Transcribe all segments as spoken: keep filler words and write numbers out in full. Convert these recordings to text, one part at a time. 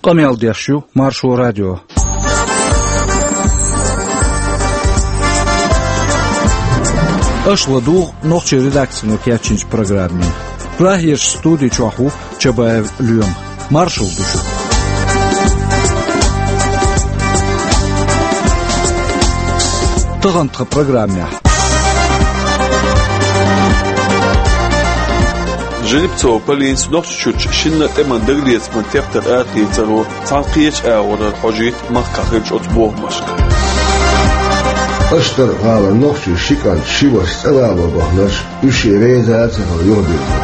Къамел деш ю Маршо радио. Аша ладугӀу нохчийн редакцино кечйинчу программе. Прагерчу студи чохь ву Чабаев Лоьма. Маршалла ду шуьга. Тахана тхан программехь. Жеребцова Полинас Нохчийчуьрчу шинна а тӀеман дагалецаман тептар арадийцаро цхьана кхечу агӀорара хьожуьйту махкахь хиллачу оцу бохамашка. Аштархьалара нохчийн ши кӀант, ши ваша цӀа вало баханарш, уьш шен реза а ца хилла юхабирзина.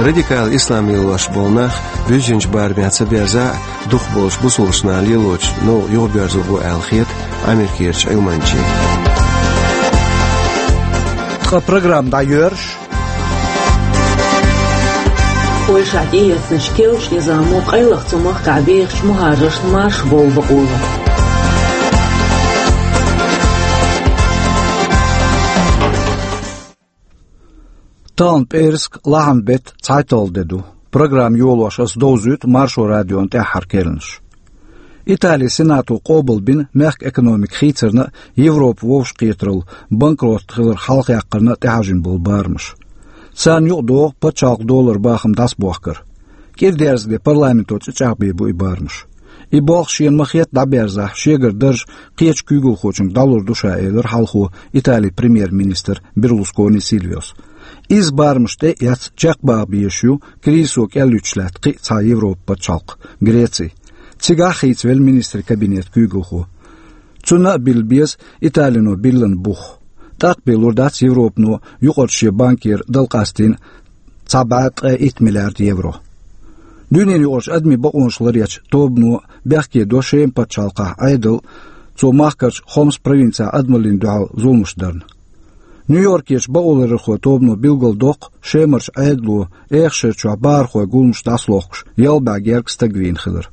Радикал ислам лелош болу нах буьззинчу барамехь ца берзахь а, дукхахболчу бусулбанашна лелочу новкъа юхабоьрзур бу аьлла хета Америкерчу Ӏилманчийн. Ткъа программа дӀайоьрзуш. Польшахь тӀеэцначу керлачу низамо къайлаха цу махкахь бехачу мухӀажаршна марша бовла бакъо ло. Тахана пӀераска, лахьан беттан цхьайтталгӀа де ду. Программа йолош аса довзуьйту Маршо радион тӀаьххьара керланаш. Италин Сенато къобалбина мехкан экономика хийцарна а, Европа вовшахкхетаралла, банкрот хиларх хьалхаяккхарна а тӀехьажийна болу барамаш. Царна юкъадогӀу пачхьалкхан долларан бахам дӀасабохкар. КӀира дерза де парламенто цӀе чӀагӀбийр бу и барамаш. И болх шена ма-хетта дӀаберзахь, шегара дарж кхечу куьйгалхочуьнга дӀалур ду ша, элира хьалхо Италин премьер-министра Берлускони Сильвиос. Изза барамаш тӀе а эцна, чекхбаха безаш ю кризисо кӀел юьтуш лаьтта кхин а цхьа Европан пачхьалкх, Греци. Цигахь а хийцавелла министрийн кабинетан куьйгалхо. Цунна а билла беза Италино биллина бух. ТӀаккха бен лур дац Европано юкъарчу шен банкера дала къастийна цхьа бӀе ткъе итт миллиард евро. Дуьненаюкъарчу адамийн бакъонаш ларъечу тобано бехке до Шеман пачхьалкхехь Ӏедал, цо махкарчу Хомс провинцехь адамаллина дуьхьал зуламаш дарна. Нью-Йоркерчу бакъоларъярхойн тобано билгалдоккху Шемарчу Ӏедало эха шарчохь бахархойн гуламаш дӀасалохкуш, ялх бӀе гергга стаг вийна хилар.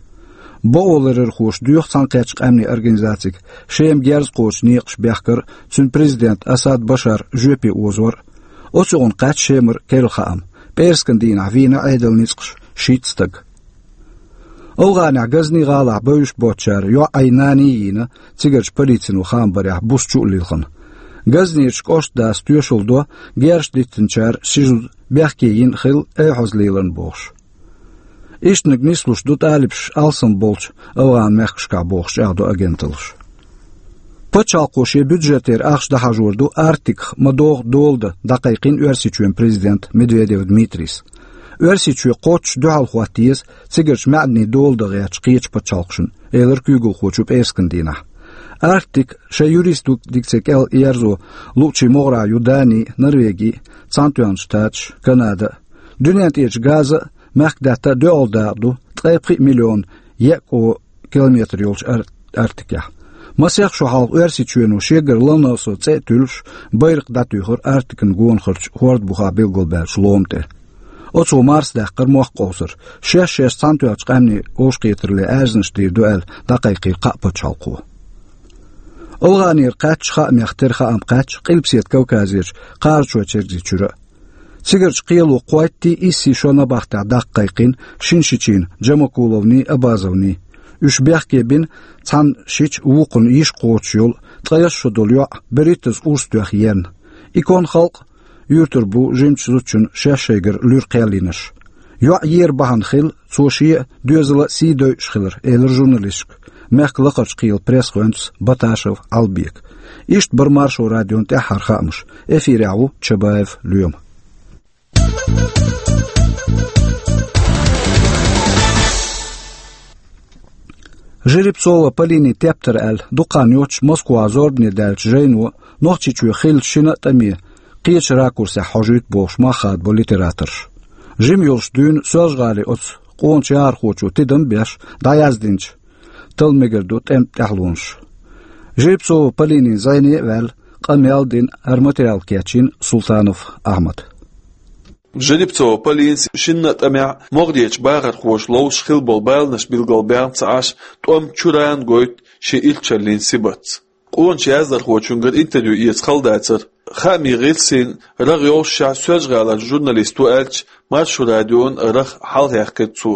Бакъоларъярхоша доьху Цхьаьнакхеттачу Къаьмнийн Организацига Шема герз кхочу некъаш бехкар а, цуьнан президент Асад Башар жоьпе озор а. Оцу юкъана кхаьчна Шемара керла хаам. ПӀераскан дийнахь вийна Ӏедалан ницкъаша шийтта стаг. АфгӀанехь Газни гӀалахь бевзаш боцучара йоӀ Ӏайнани йийна, цигарчу полицино хаам барехь, буса чу а лилхина. Газнерчу кӀоштан дас тоьшалла до, герзаш диттинчара ши зуда бехке йина хилла, эхьоза леларна бохуш. Ишттаниг нислуш ду тӀалибаша алсам болчу АфгӀан мехкашкахь бохуш, чӀагӀдо агенталлаша. Пачхьалкхо шен бюджетера ахча дӀахьажор ду Арктиках ма-догӀу дола дан дӀакхайкхина Оьрсийчоьнан президента Медведев Дмитрийс. Оьрсийчоь кхоччуш дуьхьал хӀотта еза цигарчу маьӀданийн дола дан гӀертачу кхечу пачхьалкхашна, элира куьйгалхочо пӀераскан дийнахь. Арктика шайн юрисдикци кӀел ерзо луучийн могӀарехь ю Дани, Норвеги, Цхьаьнатоьхначу Штаташ, Канада а. Дуьнен тӀерачу газа а, мехкадаьтта а доьалгӀа дакъа ду ткъе пхиъ миллион еа кӀо километр йолчу Ар-, Арктикехь. Масех шо хьалха Оьрсийчоьно шегара Ломоносов цӀе а туьллуш, байракх дӀатуьйхира Арктикан гонахарчу хӀордан бухахь билгалбаьллачу лома тӀе. Оцо марсадаьккхира мохк къовсар, шаьш-шаьш Цхьаьнатоьхначу Къаьмнийн вовшахкхетаралле аьрзнаш дийр ду аьлла, дӀакхайкхийра кхаа пачхьалкхо. АфгӀанера кхаьчча, хаамех тера хаам кхаьчна Къилбаседа Кавказерчу Кхарачой-Черкзийн чуьра а. Цигарчу кхело кхойттий, иссий шо набахтехь даккха кхайкхина Шиншичина Джамакуловний, Абазовний. Уьш бехке бина цхьана шича вукхунна йиша кхочуш йолу, ткъе ялх шо долу йоӀ берхӀиттазза урс тоьхна ерна. И конан халкъ юьртара бу жимачу зудчунна шаьш шайгара луьра кхел йинарш. ЙоӀ ер бахьана хилла, цо шен а, доьзалан а сий дойуш хилар, элира журналисташка мехкан лакхарчу кхелан пресс-гӀоьнца Баташев Ӏалбека. Иштта бара Маршо радион тӀаьххьара хаамаш. Эфирехь ву Чабаев Лоьма. Жеребцова Полинин тептар аьлла, дукха хан йоццуш Москвахь зорбане даьллачу жайно Нохчийчоь хиллачу шина а тӀаме кхечу ракурсехь хьожуьйту бохуш мах хадабо литераторша. Жима йолуш дуьйна Соьлжа-ГӀалин оцу къоначу яхархочо тидам а беш дӀаяздинчу «Тала мегар ду» тӀеман тӀаьхьалонаш. Жеребцова Полинин зӀене а ваьлла, къамел а дина, хӀара материал кечйина Султанов Ахьмада. Жеребцова Полинас шинна а тӀамехь могӀарерчу бахархоша ловзуш хилла болу баланаш билгалбаьхна ца Ӏаш, тӀом чуьрана гойту шен иллачаллин сибатца. Къоначу яздархочуьнгара интервью эца хала дацара. Хаамийн гӀирсийн рагӀ йоллушехь, Соьлжа-ГӀалара журналист ву аьлча, Маршо радион рагӀ хьалхаяккхира цо.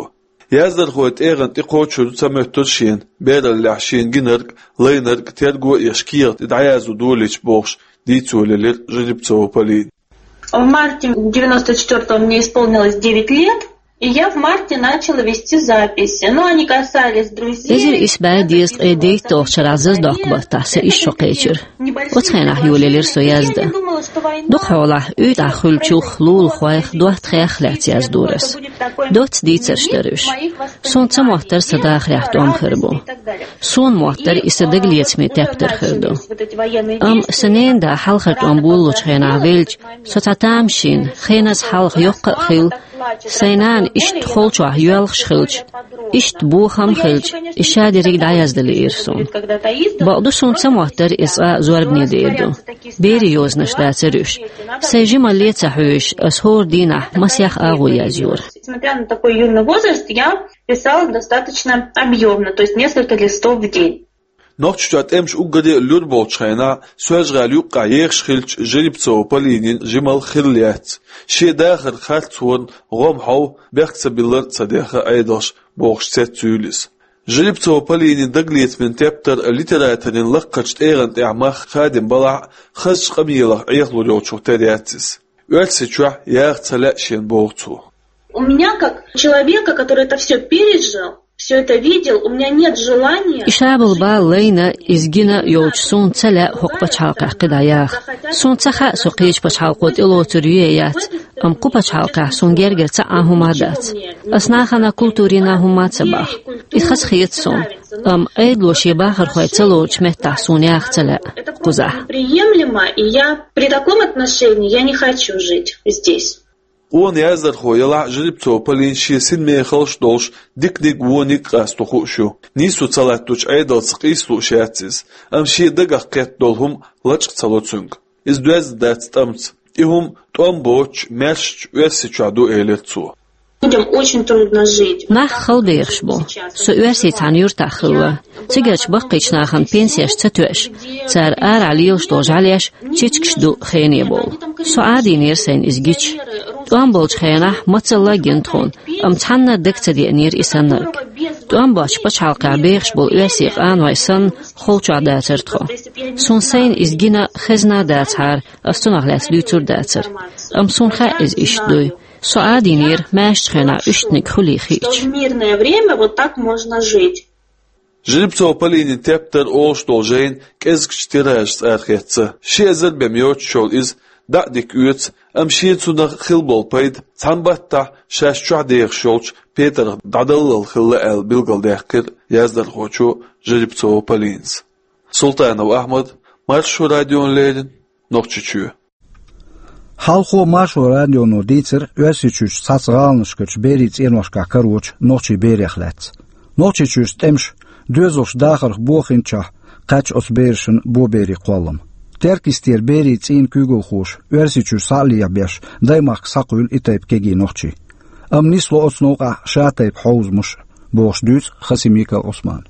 Яздархой тӀегӀан тӀе кхочур ца моьттура шена, бераллехь шена гинарг, лайнарг терго а еш, кехат тӀе дӀаязду долийча бохуш, дийцо лелира Жеребцова Полина. В марте девяносто четвёртого мне исполнилось девять лет, и я в марте начала вести записи. Но они касались друзей. Эзар исс бӀе дезткъе дейтталгӀачу шарахь зазадоккху баттахь сан исс шо кхечира. Оцу хенахь йолаелира со яздан. Дукха хьолахь уьйтӀахь хуьлучух, лулахойх, доттагӀех лаьцна яздора ас. Доцца дийцарш дара уьш. Суна ца моттара сан дахарехь тӀом хир бу. Суна моттара и сан дагалецаман тептар хир ду. Амма сан ненан да хьалхара тӀом болалучу хенахь велча, со цхьа тамашийна, хеназа хьалха йоккха а хилла, сайн нана иштта холчохь йоьлхуш хилча, иштта бохам а хилча, и ша дерриг дӀаяздан лиира суна. Бакъду, суна ца моттара иза цкъа а зорбане дер ду. Берийн йозанаш дацара уьш. Сайн жималле а ца хьоьжуш, ас хӀора дийнахь масех агӀо язйора. Несмотря на такой юный возраст, я писала достаточно объёмно, то есть несколько листов в день. Нохчийчохь тӀемаш уггаре а лур болчу хенахь, Соьлжа-ГӀала юккъехь ехаш хиллачу Жеребцова Полинин жималла хилла яц. Шен дахаран харцонан гӀо-м хьов, бехк ца биллар а ца деха Ӏедалша, бохуш цецйуьйлу иза. Жеребцова Полинин дагалецаман тептар литераторийн лакхарчу тӀегӀан тӀехь мах хадийна балахь а, хазачу къамелах Ӏехалур йолчух тера яц иза. Оьрсийчохь яха ца лаьа шена, боху цо. У меня, как человека, который это всё пережил, всё это видел, у меня нет желания... И ша болу бала лайна, иза гина йолчу суна ца лаьа хӀокху пачхьалкхехь кхидӀа яха. Суна ца хаьа со кхечу пачхьалкхо тӀелоцур ю я яц, амма кху пачхьалкхехь суна гергара цхьа а хӀума а дац. Ас нахана, культурина хӀума а ца боху. И хазахета суна. Амма Ӏедало шен бахархой ца лоручу меттехь суна яха ца лаьа кхузахь. Приемлемо, и я при таком отношении, я не хочу жить здесь. Къона яздархо ялахь а, Жеребцова Полина шен синмехалш а долуш, диканиг а, вониг а къасто хууш ю. Нийсо ца латточу Ӏедалца къийса лууш яц иза, амма шен дагах кхетта долу хӀума лачкъа ца ло цуьнга. Иза доьзна дац тӀамца. И хӀума тӀом боцучу, маьршачу Оьрсийчохь ду, элира цо. Людям очень трудно жить. Нах хала бехаш бу. Со Оьрсийчохь цхьана юьртахь хилла. Цигарчу баккхийчу нахана пенсеш ца тоьаш, цара арахь лелаш долу жӀаьлеш, чечкаш ду хене бовла. Со Ӏадийнера сайна иза гича. ТӀом болчу хенахь мацалла а гина тхуна, амма цхьанна а дага ца деанера и саннарг. ТӀом боцчу пачхьалкхехь бехаш болу оьрсийн къанойн санна, холчохь дацара тхо. Суна сайна иза гина хезна а дацахьара, ас цунах лаьцна дуьйцур а дацара. Амма суна хаьа иза иштта дуй. Со Ӏадийнера маьршачу хенахь уьстагӀниг хуьлий хиъча. Что в мирное время вот так можно жить. Жеребцова Полинин тептар олуш долу жайна кӀезгчу тиражца арахецна. Ши эзар бен йоцуш йолу иза дӀа а дика оьцу, амма шен цунах хилла болу пайда цхьана баттахь шаьш чохь дехаш йолчу петарх дӀадаллал хилла аьлла билгалдаьккхира яздархочо Жеребцова Полинас. Султанов Ахьмад, Маршо радиона леррина, Нохчийчоь. Хьалхо Маршо радионо дийцира Оьрсийчуьрчу цхьацца гӀаланашкарчу берийн цӀеношкахь карочу нохчийн берех лаьцна. Нохчийчуьрчу тӀемаша доьзалш дахарх бохийначохь кхаьчна оцу берашна боберийн кхоллам. Теркйистера берийн цӀийнан куьйгалхоша Оьрсийчуьра схьа а лехьабеш, даймахка схьакхуьйлу и тайпа кегий нохчий. Амма нисло оцу новкъахь ша тайпа хьовзамаш а, бохуш дуьйцу Хасимиков Ӏусмана.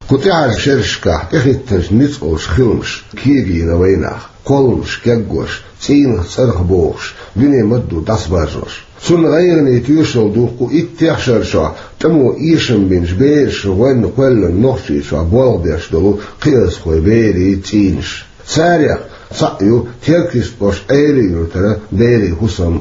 Кху тӀаьхьарчу шерашкахь тӀехӀиттинчу ницкъаллин хиламаш кегийна вайнах, кхолламаш кегош, цӀийнах цӀарах бохуш, дуьне ма-дду дӀасабаржош. Цунна гӀайгӀане тоьшалла ду кху иттех шарчохь тӀамо эшам бинчу берашна гӀоьнна кхоьллина Нохчийчохь болх беш долу кхиазхой берийн цӀийнаш. Царех цхьаъ ю Теркйист-Ӏаш Ӏелин-Юьртара берийн хӀусам.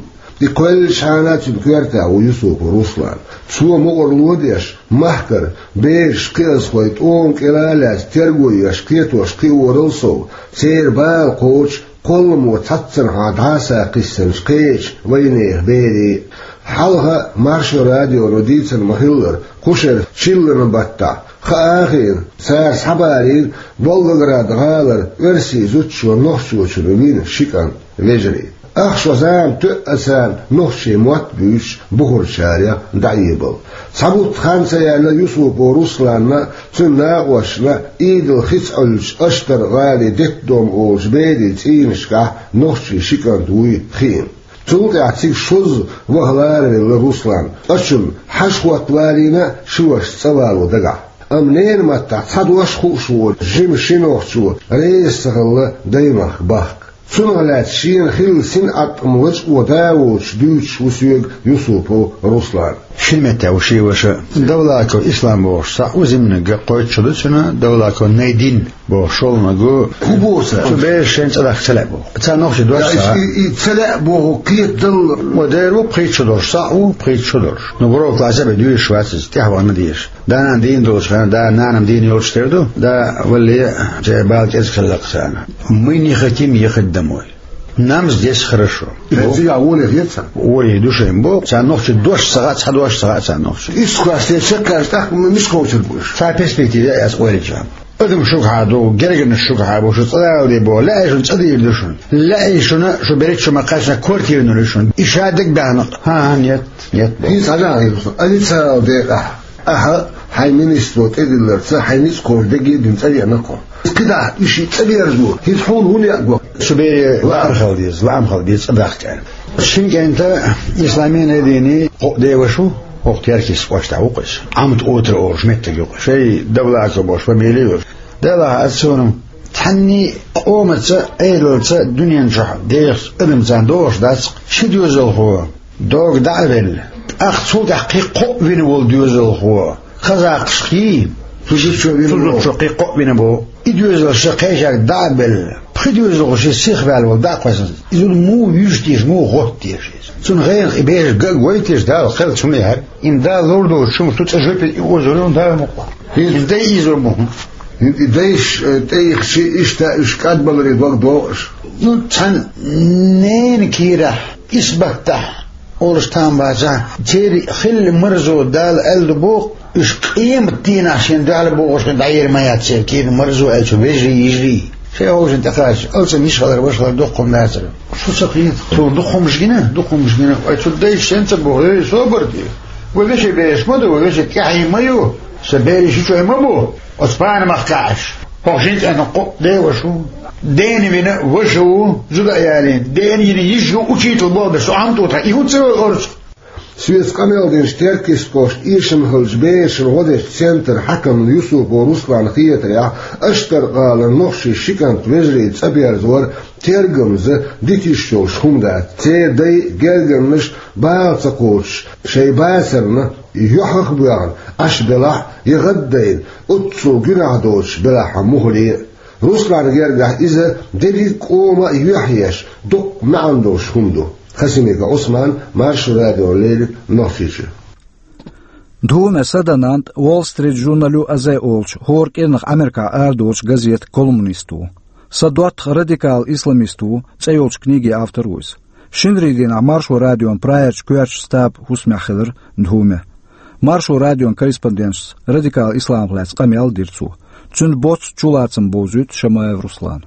И кхоьллинчхьана цуьнан коьртехь ву Юсупов Руслан. Цо мукъарло деш, махкара бераш, кхиазхой тӀома кӀира а лаьцна терго еш, кхетош кхиорал сов, церан бала кхочуш, кхолламо цхьаццанхьа дӀа а сакхиссинчу кхечу вайнехан берийн. Хьалха Маршо радионо дийцина ма-хиллара, кху шеран чиллан баттахь, хаа а хиъна, цара схьабарийра Волгоград гӀалара оьрсийн зудчо нохчочунна вина ши кӀант, вежарий. Ах шо зама тоьа царна нохчийн мотт буьйцуш бухарчарех дӀаэбала. Цхьа бутт хан ца яьлла Юсупов Русланна, цуьнан накъосташна Ӏийдал хица Ӏуьллучу Аштар-гӀалин детдом олучу берийн цӀийнашкахь нохчийн ши кӀант вуй хиъна. Цул тӀаьхьа цига шозза ваха ларавелла Руслан. Ткъа цунна хьажа хӀотта валийна ши вашас цӀа вало дагахь. Амма ненан маттахь цхьа дош хууш воцу жима ши нохчо реза ца хилла даймахка бахка. Цунах лаьцна шена хилла синӀаттам лачкъо да воцуш дуьйцуш ву соьга Юсупов Руслан. Шина меттехь ву шен ваша. Давлаков Ислам бохуш цхьаъ ву, зиманиг кхойтта шо ду цуьнан, Давлаков Найдин бохуш шолгӀаниг ву. ХӀун боху цара? Цу бераш шайна цӀа дахка ца лаьа боху. Царна нохчий дош, и, и ца лаьа боху кхетадалла. Ва дера ву, пхийтта шо долуш цхьаъ ву, пхийтта шо долуш. Ну, вуро классе бен дуьйцуш вац иза, тӀаьхьа вахана дезаш. Да-нана дийна долчу хенахь, да-нана дийна йолчу тера ду, да валле, шайн бала кӀезиг хилла-кх царна. Мы не хотим ехать домой. Нам здесь хорошо. Цигахь воле хета царна? Воле ду шайна боху, царна нохчий дош ца хаьа, цхьа дош ца хаьа царна нохчий. Исс классе чекхаьжча тӀаккха мича кхочур бу уьш? Цхьа перспектива яц ойла чам. Адам шуьгахь ду, гергарнаш шуьгахь бу, шу цӀа дала де боху, лаьий шуна, цӀа дийр ду шуна. Лаьий шуна, шу берриг чу ма кхаьчна, квартира лур ю шуна. И ша дагабаьхна, хьан-хьан, нет, нет боху. ХӀинца хьажахьа хир ду сан, официалан декъахь. Ахьа хьайн министро тӀедилларца, хьайн ницкъ кхочу дерриге а дуьйна цӀа веана-кх хьо. КхидӀа уьш и цӀа верзо, хӀинца хьуна хӀунда яа го? Шу бере лаар хила деза, лаам хила деза цӀа дахка аьлла. Шина кӀентан, Исламе Найдинан, кхоъ деваш ву, хӀокху Теркйист кӀоштахь ву-кх иза. Ӏамат-Отра олуш меттиг ю-кх. Шайн Давлаков бохуш фамили а йолуш. Делахь аса цунах, цхьанний къомаца, Ӏедалца дуьнен чохь дехаш адам царна догӀуш дац-кх, ши доьзалхо догӀа дӀа а велла, тӀаккха цул тӀаьхьа кхин кхоъ вина волу доьзалхо, казакхашкий, цу зудчо вина волу, цу зудчо кхин кхоъ вина боху. И доьзалш кхечаьрга дӀа а белла, пхи доьзалхо шен сиха ваьлла волу дӀа а кхоьссина, и зуда муха вуьжу теша, муха гӀотту теша иза? Цунна гӀенах и бераш ган а гой теша, Дала кхеллачу хӀумане хьаьрга. Имма Дала лур долчу хӀуманах ду цӀа жоьпе и озор ю, Дала мукъа. ХӀинца дай иза бу. ХӀинца и дайша, э, тӀеихча, иштта уьш кӀадбаларе дог догӀу аша. Ну, цхьана ненан кийрахь, исбаттахь олуш там бацахь, церан хилла марзо Дала аьлла ду боху, уьш къематан дийнахь шен дуьхьал богӀуш хин дӀаер ма яц церан кийран марзо аьлла цу вежарий, йижарий. Шайн хӀовшина тӀекхача, алсам йиш хилар, ваша хилар дукха хӀума дацара. Шу ца кхета? Цо дукха хӀумаш гина, дукха хӀумаш гина. Вай цу дайша шен ца боху, эй, собар де. Вай вешин бераш ма ду, вай вешин тӀаьхье ма ю. Сан берийн ши чой ма бу. Оцу панамах кхаьаш. ХӀокху шина цӀенна кхоъ деваш ву. Дена вина ваша ву, зуда а ялийна. Дена йина йижа ю, учитель боху, сан Ӏамту тхан, и хӀун ца йолу орцах? Соьца къамел динчу Теркйист кӀоштан эшам хиллачу берашна гӀо дечу центран хьаькамна Юсупов Русланна хетарехь, Аштаркхалан нохчийн ши кӀант вежарийн цӀа берзор тергамза дитиш йолуш хӀума дац. Церан дай, гергарнаш бала ца кхочуш, шайн бацарна юьхьах а боьгӀна, Ӏаш белахь а, я гӀаддайна, оццул гуьнахь доцуш белахь а муххале а. Русланна гергахь иза дерриг а къоман а юьхь еш, дуккха маьӀна долуш хӀума ду. Хасимиков Ӏусман, Маршо радиона леррина, Нохчийчуьра. Дхуме Садананда Wall Street Journal-ю Азе олучу хӀора кӀирнах Америкахь арадолучу газетан колумнист ву. Садоттах радикал исламист ву, цӀе йолчу книгин автор ву иза. Шинарин дийнахь Маршо радион прайерчу коьртачу штабан хӀусамехь хилира Дхуме. Маршо радион корреспонденташца радикал исламах лаьцна къамел а дира цо. Цуьнан боццу чулацам бовзуьйту Шамаев Руслана.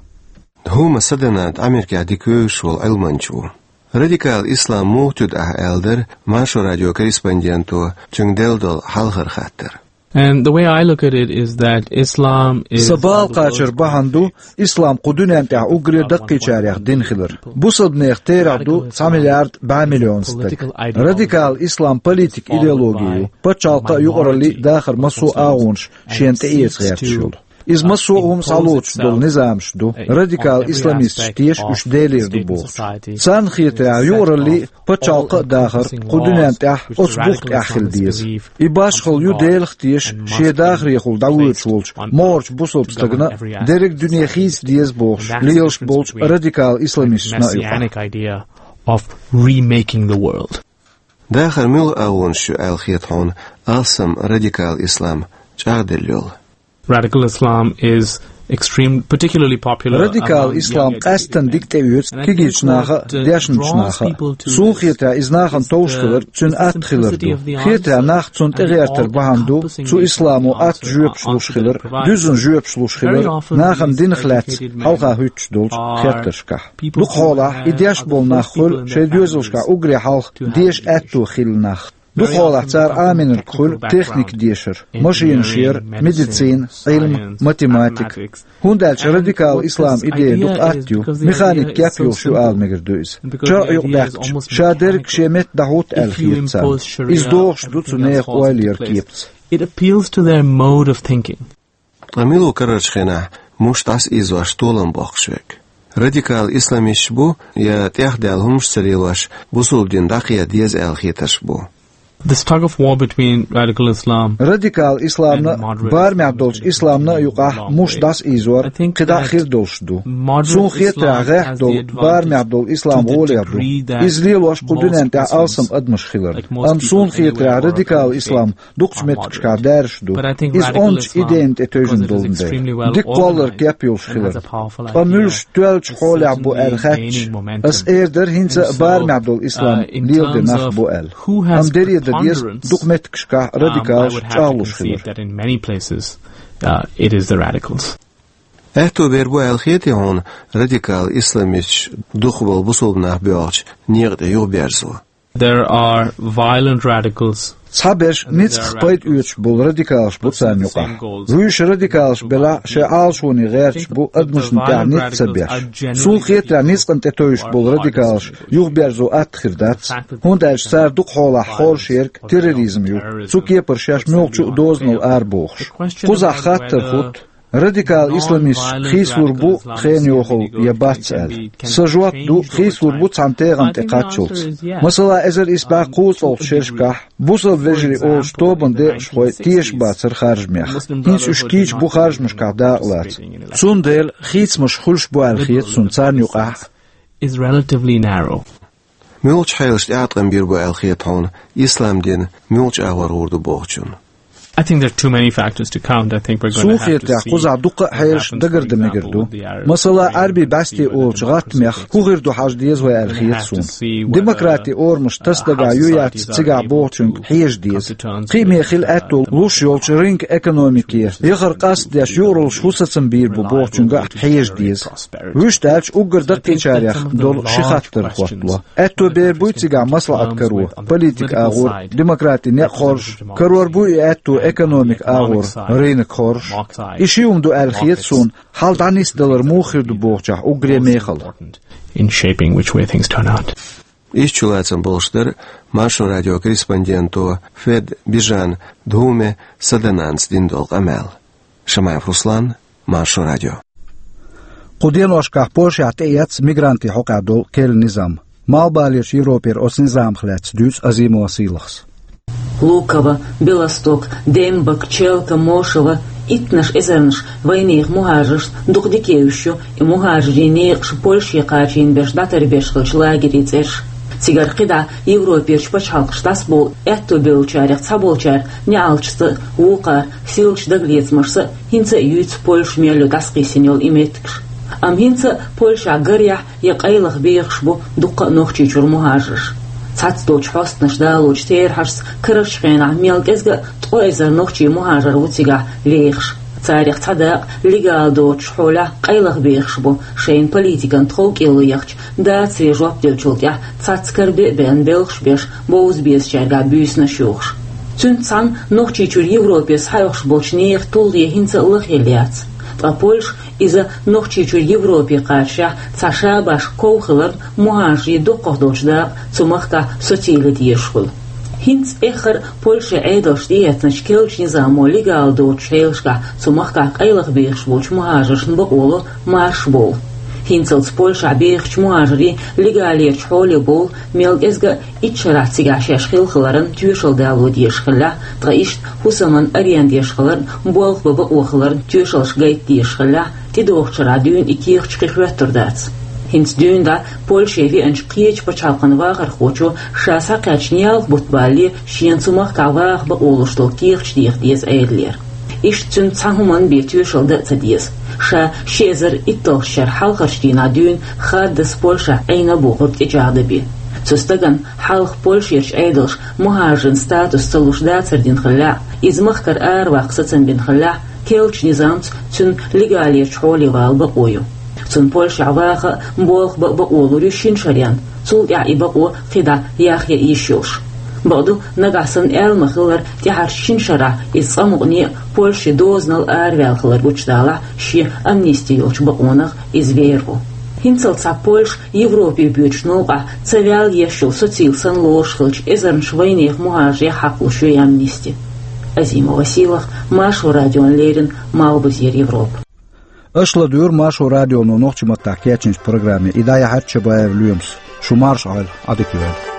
Дхуме Садананда Америкехь дика вевзаш волу Ӏилманча ву. Радикал ислам муха туьду ахь аьлла дара Маршо радион корреспонденто цуьнга делла долу хьалхара хаттар. And the way I look at it is that Islam is Сан бала кхачар бахьана ду, ислам кху дуьнен тӀехь уггаре даккхийчарех дина хилар. Бусалбанех терахь ду цхьа миллиард бӀе миллион стаг. Радикал ислам политик идеологи ю, пачхьалкхан а, юкъараллин а дахар массо а агӀонаш шена тӀеэца гӀерташ йолу. Иза массо а хӀума схьалоцуш долу низамаш ду, радикал исламисташ теша уьш Делера ду бохуш. Царна хетарехь, юкъараллин а, пачхьалкхан а дахар кху дуьнен тӀехь оцу бух тӀехь хила деза. И башхалла ю Делах а теша, шен дахарехула дӀавоьдуш волчу могӀарчу бусалба стагана дерриг дуьне хийца деза бохуш лелаш болчу радикал исламисташна а юкъахь. Of remaking the world. Дахар муьлха агӀонаш ю аьлла хета хьуна алсам радикал ислам чӀагӀделла йолу? Radical Islam is extreme, particularly popular. Радикал ислам къаьсттина дика тӀеоьцу кегийчу наха а, дешначу наха а. Суна хетарехь, иза нахана товш хилар цуьнан атта хилар ду. Хетарехь, нах цунна тӀегӀертар бахьана ду цу исламо атта жоьпаш луш хилар, дуьззина жоьпаш луш хилар, нахана динах лаьцна хьалха хӀуьттуш долчу хеттаршкахь. Дукхахьолахь и деш болу нах хуьлу шайн доьзалшкахь уггаре хьалха деша аьтто хилла нах. Дукхахьолахь цара Ӏамийнарг хуьлу техника дешар, машинаш яр, медицина, Ӏилма, математика. ХӀунда аьлча радикал ислам идея дукха атта ю, механик кеп йолуш ю ала мегар ду иза. ЧарӀ юкъадаьккхича, ша дерриг шен метта дӀахӀутту аьлла хета царна. Иза догӀуш ду цу нехан ойла яран кепаца. It appeals to their mode of thinking. Ткъа мила ву карарчу хенахь муш дӀасаийзош толам боккхуш верг? Радикал исламисташ бу, я тӀехдаьлла хӀумаш ца лелош, бусалба дин дӀакхета деза аьлла хетараш бу. This tug of war between radical Islam. Радикал исламна а, барамехь долчу исламна а юкъахь муш дӀасаийзор кхидӀа а хир долуш ду. Суна хетарехь, гӀехь долу барамехь долу ислам гӀоле ду. Иза лелош кху дуьнен тӀехь алсам адамаш хиларна. Амма суна хетарехь, радикал ислам дукхачу меттигашкахь даьржаш ду. Иза ончу идейна тӀе тевжина долун дела, дика кхоллар кеп йолуш хиларна. Ткъа муьлш тоьллачу хьолехь бу аьлла хаьттича, ас эр дара хӀинца а барамехь долу ислам леладе нах бу аьлла. Амма дере дан деза, дукха меттигашкахь радикалаш чӀагӀлуш хилар. Аьтто бер бу аьлла хетий хьуна радикал исламисташ дукхахболу бусалба нах боьлхучу некъа тӀе юхаберзо? There are violent radicals. Цхьаберш ницкъах пайда оьцуш болу радикалаш бу царна юкъахь. Вуьйш радикалаш белахь а, шайн Ӏалашоне гӀерташ бу, адамашна тӀехь ницкъ ца беш. Суна хетарехь, ницкъана тӀе тевжаш болу радикалаш юхаберзо атта хир дац, хӀунда аьлча цара дукха хьолахь хоржуш ерг терроризм ю, цу кепара шаьш муьлххачу а дозанал арабохуш. Кхузахь хаттар хӀутту: радикал исламисташ хийцалур бу хенан йохалла я бац аьлла. Сан жоп ду: хийцалур бу цхьана тегӀан тӀе кхаччалц. Масала, эзар исс бӀе кхузткъалгӀачу шерашкахь бусалба вежарий олучу тобанан декъашхой тешаш бацара харжамех. ХӀинца уьш кийча бу харжамашкахь дакъалаца. Цундела хийцамаш хуьлуш бу аьлла хета суна царна юкъахь а. Is relatively narrow. Муьлхачу хьелашна тӀеӀаткъам бийр бу аьлла хета хьуна ислам дин муьлхачу агӀор гӀур ду бохучунна? I think there are too many factors to count. I think we're going to have to see what happens, for example, with the Arab Spring. Суна хетарехь, кхузахь дуккха а хьелаш дагардан мегар ду. Масала, Ӏаьрбийн бӀаьсте олучу гӀаттамех хӀун хир ду хьажа деза вай аьлла хета суна. Демократин орамаш тасадагахь ю-яц цигахь бохучуьнга хьежа деза. Кхиаме хила аьтто луш йолчу рынок экономике яхар къастадеш юкъараллаш хӀун сацам бийр бу бохучуьнга а хьежа деза. Вуьшта аьлча, уггар даккхийчарех долу ши хаттар хӀоттало. Аьтто бер буй цигахь маслаӀат каро, политикан агӀор демократин некъ хоржуш, карор буй и аьтто экономикан агӀор рынок хоржуш? И ши хӀума ду аьлла хета суна, хьал дӀанисдалар муха хир ду бохучохь уггаре мехала. In shaping which way things turn out. Иштта чулацам болуш дара Маршо радион корреспонденто Фед Бижан Дхуме Садананца дина долу къамел. Шамаев Руслан, Маршо радио. Кху деношкахь Польшехь тӀеэцна мигрантийн хьокъехь долу керла низам. Малхбалерчу Европера оцу низамах лаьцна дуьйцу Азимова Сийлахьас. Луково, Белосток, Дембок, Челка, Мошево, иттаннаш эзарнаш вайнехан мухӀажаршна дукха дика евзаш ю и мухӀажарийн некъаш Польше кхачийна берш дӀатарбеш хиллачу лагерийн цӀераш. Цигара кхидӀа Европерчу пачхьалкхашка дӀасабовла аьтто бевллачарех цхьаболчара неӀалташца а, вукхара сийлачу дагалецамашца а хӀинца а юьйцу Польша мел ю дӀасакхиссина йолу и меттигаш. Амма хӀинца а Польшехь гарехь я къайлаха бехаш бу дуккха а Нохчийчуьра мухӀажарш. Цхьацца долчу хьостанаша далочу терахьашца карарчу хенахь мел кӀезга а ткъо эзар нохчийн мухӀажар ву цигахь лехаш. Царех цхьа дакъа легал доцучу хьолехь къайлаха бехаш бу, шайна политикан тховкӀело яхча, дацаре жоп деллачул тӀаьхьа цхьацца карабе а беана белхаш беш, бовза безачаьргахь буьйсанаш йохуш. Цуьнца цхьаьна Нохчийчуьра Европе схьаоьхуш болчу нехан тулгӀе хӀинца а лахъелла яц. Ткъа Польша иза Нохчийчуьра Европе кхачашехь цхьа шабаш ков хиларна, мухӀажарийн дуккхах долчу дакъа цу махкахь социйла дезаш хуьлу. ХӀинца эххар а Польшин Ӏедалша тӀеэцначу керлачу низамо легал доцучу хьелашкахь цу махкахь къайлаха бехаш болчу мухӀажаршна бакъо ло марша бовла. ХӀинцалц Польшахь бехачу мухӀажарийн легалерчу хьоле бовла мел кӀезга а итт шарахь цигахь шаьш хилла хиларан тоьшалла дало дезаш хиллехь, ткъа иштта хӀусаман аренда еш хиларан, болх бан бакъо хиларан тоьшаллаш гайта дезаш хиллехь, тӀедогӀучу шарахь дуьйна и кехаташ кхин хӀоьттур дац. ХӀинца дуьйна дӀа Польше веанчу кхечу пачхьалкхан вахархочо ша схьакхаьчна ялх бутт балале шена цу махкахь ваха бакъо луш долу кехаташ деха деза Ӏедалера. Иштта цуьнца цхьа хӀуманна бен тоьшалла дан а ца деза. Ша ши эзар итталгӀачу шарахь хьалхарчу дийнахь дуьйна хаддаза Польшахь Ӏийна а бохург тӀечӀагӀдан бен. Цу стагана хьалха Польшерчу Ӏедалша мухӀажаран статус ца луш дацар дина хиллехь а, иза махкара араваккха сацам бина хиллехь а, керлачу низамца цуьнан легалерчу хьоле вала бакъо ю. Цунна Польшехь ваха а, болх бан а бакъо лур ю шина шарна, цул тӀаьхьа и бакъо кхидӀа яхъян йиш йолуш. Бакъду, нагахь санна аьлла ма-хиллара, тӀаьхьарчу шина шарахь иза цкъа мукъане а Польше дозанал араваьлла хилар гучудалахь, шен амнисти йолчу бакъонах иза вер ву. ХӀинцалц цхьа Польша Европе боьдучу новкъахь ца ваьлла еш йолу социйла санна лоруш хиллачу эзарнаш вайнехан мухӀажарех хьакхалуш ю и амнисти. Азимова Сийлахь, Маршо радиона леррина, Малхбузера Европа. Аша ладугӀура Маршо радионо нохчийн маттахь кечйинчу программе. И дӀаяьхьира Чабаев Лоьмас. Шу марша Ӏойла, Ӏадика йойла.